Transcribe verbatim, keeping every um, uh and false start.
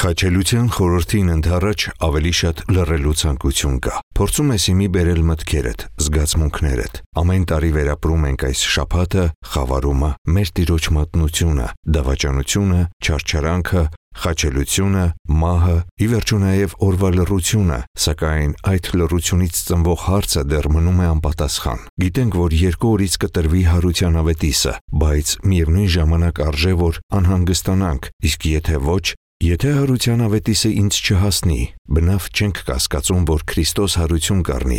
Խաչելության խորհրդին ընդառաջ ավելի շատ լռելու ցանկություն կա։ Փորձում ես իմի բերել մտքերդ, զգացմունքներդ։ Ամեն տարի վերապրում ենք այս շաբաթը, խավարումը, մեր Տիրոջ մատնությունը, դավաճանությունը, չարչարանքը, խաչելությունը, մահը, ի վերջո նաև օրվա լռությունը, սակայն այդ լռությունից ծնվող հարցը դեռ մնում է անպատասխան։ Գիտենք, որ երկու օրից կտրվի հարության ավետիսը, բայց միևնույն ժամանակ արժե որ անհանգստանանք, իսկ եթե ոչ, եթե հարության ավետիսը ինձ չհասնի, բնավ չենք կասկածում, որ Քրիստոս հարություն կառնի,